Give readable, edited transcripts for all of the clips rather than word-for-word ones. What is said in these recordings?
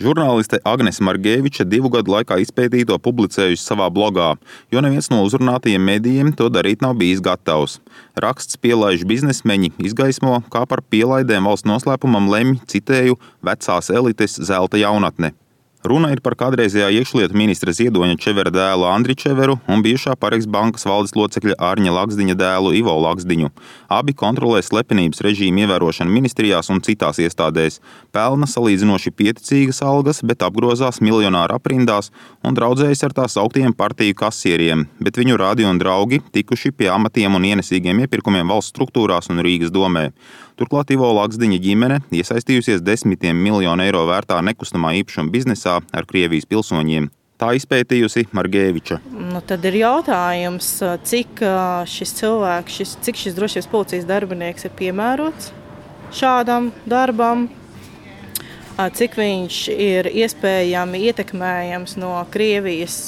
Žurnāliste Agnese Margeviča 2 gadu laikā izpētīto publicējusi savā blogā, jo neviens no uzrunātajiem medijiem to darīt nav bijis gatavs. Raksts pielaiž biznesmeņi izgaismo, kā par pielaidēm valsts noslēpumam lemj, citēju, vecās elites zelta jaunatne. Runa ir par kādreizējā iekšlietu ministra Ziedoņa Čevera dēlu Andri Čeveru un bijušā Paregs bankas valdes locekļa Arņa Laksdiņa dēlu Ivo Laksdiņu. Abi kontrolē slepenības režīmu ievērošanu ministrijās un citās iestādēs, pelna salīdzinoši pieticīgas algas, bet apgrozās miljonāru aprindās un draudzējas ar tā sauktiem partiju kasieriem, bet viņu radi un draugi tikuši pie amatiem un ienesīgiem iepirkumiem valsts struktūrās un Rīgas domē. Turklāt Ivo Laksdiņa ģimene iesaistījusies desmitiem miljonu eiro vērtā nekustamā īpašuma biznesā ar Krievijas pilsoņiem. Tā izpētījusi Margeviča. Tad ir jautājums, cik šis cilvēks, cik šis drošības policijas darbinieks ir piemērots šādam darbam, cik viņš ir iespējami ietekmējams no Krievijas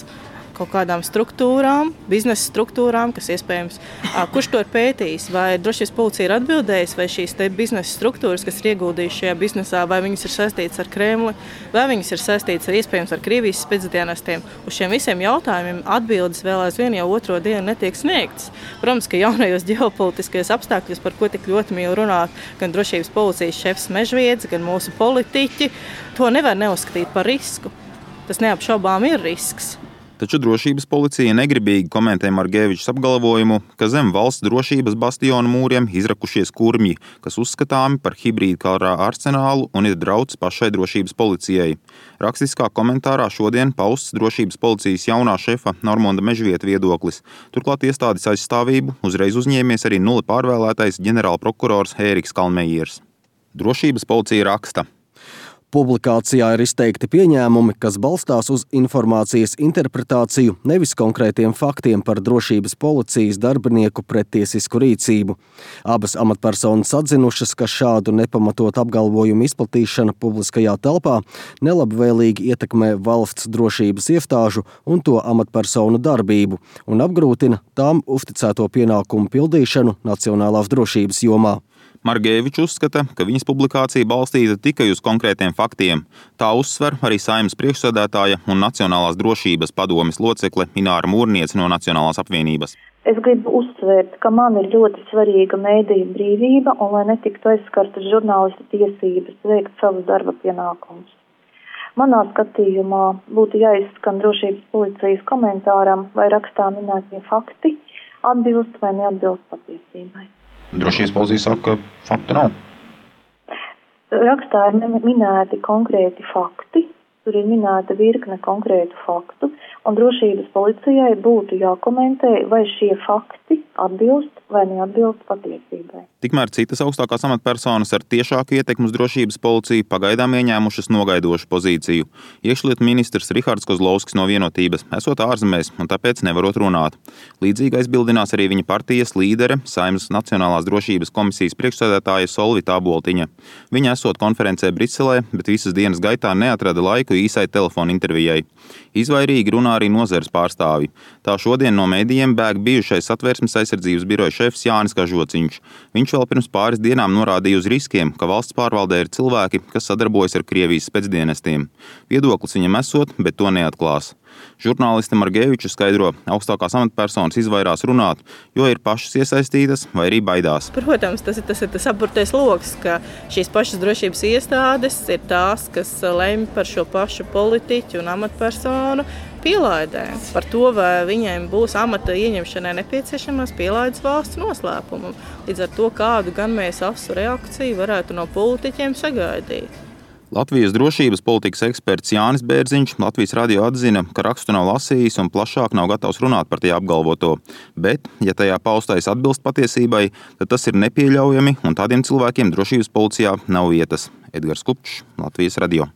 kaut kādām struktūrām, biznesa struktūrām, kas iespējams, kurš to ir pētījis, vai drošības policija ir atbildējis, vai šīs te biznesa struktūras, kas ir ieguldījuši šajā biznesā, vai viņas ir saistītas ar Kremli, vai viņas ir saistītas ar iespējams ar Krievijas spēcdienestiem. Uz šiem visiem jautājumiem atbildes vēl aizvien jau otro dienu netiek sniegtas. Protams, ka jaunajos ģeopolitiskajos apstākļos, par ko tik ļoti mīl runāt gan drošības policijas šefs Mežviedz, gan mūsu politiķi, to nevar neuzskatīt par risku. Tas neapšaubām ir risks. Taču drošības policija negribīgi komentē Margevičas apgalvojumu, ka zem valsts drošības bastionu mūriem izrakušies kurmji, kas uzskatāmi par hibrīdu kara arsenālu un ir drauds pašai drošības policijai. Rakstiskā komentārā šodien pausts drošības policijas jaunā šefa Normonda Mežvieta viedoklis. Turklāt iestādes aizstāvību uzreiz uzņēmies arī nulli pārvēlētais ģenerālprokurors Ēriks Kalmejers. Drošības policija raksta. Publikācijā ir izteikti pieņēmumi, kas balstās uz informācijas interpretāciju, nevis konkrētiem faktiem par drošības policijas darbinieku prettiesisku rīcību. Abas amatpersonas atzinušas, ka šādu nepamatotu apgalvojumu izplatīšana publiskajā telpā nelabvēlīgi ietekmē valsts drošības iestāžu un to amatpersonu darbību un apgrūtina tām uzticēto pienākumu pildīšanu nacionālās drošības jomā. Margeviča uzskata, ka viņas publikācija balstīta tikai uz konkrētiem faktiem. Tā uzsver arī Saeimas priekšsēdētāja un Nacionālās drošības padomes locekle Ināra Mūrniece no Nacionālās apvienības. Es gribu uzsvērt, ka man ir ļoti svarīga mēdīju brīvība un lai netiktu aizskartas žurnālistu tiesības veikt savus darba pienākumus. Manā skatījumā būtu jāizskan drošības policijas komentāram, vai rakstā minētie fakti atbilst vai neatbilst patiesībai. Drošības policija saka, ka faktu nav. Rakstā ir minēti konkrēti fakti, tur ir minēta virkne konkrētu faktu, un drošības policijai būtu jākomentē, vai šie fakti atbilst vai neatbilst patiesībai. Tikmēr citas augstākās amatpersonas ar tiešāku ietekmi uz drošības policiju pagaidām ieņēmušas nogaidošu pozīciju. Iekšlietu ministrs Rihards Kozlovskis no Vienotības esot ārzemēs un tāpēc nevarot runāt. Līdzīgi aizbildinās arī viņa partijas līdere, Saeimas Nacionālās drošības komisijas priekšsēdētāja Solvita Aboltiņa. Viņa esot konferencē Briselē, bet visas dienas gaitā neatrada laiku īsai telefona intervijai. Izvairīgi runā arī nozares pārstāvi. Tā šodien no mēdījiem bēg bijušais Satversmes aizsardzības biroja šefs Jānis Kažociņš. Viņš vēl pirms pāris dienām norādīja uz riskiem, ka valsts pārvaldē ir cilvēki, kas sadarbojas ar Krievijas spēcdienestiem. Viedoklis viņam esot, bet to neatklās. Žurnāliste Margeviča skaidro, augstākās amatpersonas izvairās runāt, jo ir pašas iesaistītas vai arī baidās. Protams, tas ir tas apburtais loks, ka šīs pašas drošības iestādes ir tās, kas lemj par šo pašu politiķu un amatpersonu pielaidēm. Par to, vai viņiem būs amata ieņemšanai nepieciešamās pielaides valsts noslēpumam. Līdz ar to, kādu gan mēs asu reakciju varētu no politiķiem sagaidīt. Latvijas drošības politikas eksperts Jānis Bērziņš Latvijas radio atzina, ka rakstu nav lasījis un plašāk nav gatavs runāt par tajā apgalvoto. Bet, ja tajā paustais atbilst patiesībai, tad tas ir nepieļaujami un tādiem cilvēkiem drošības policijā nav vietas. Edgars Kupčs, Latvijas radio.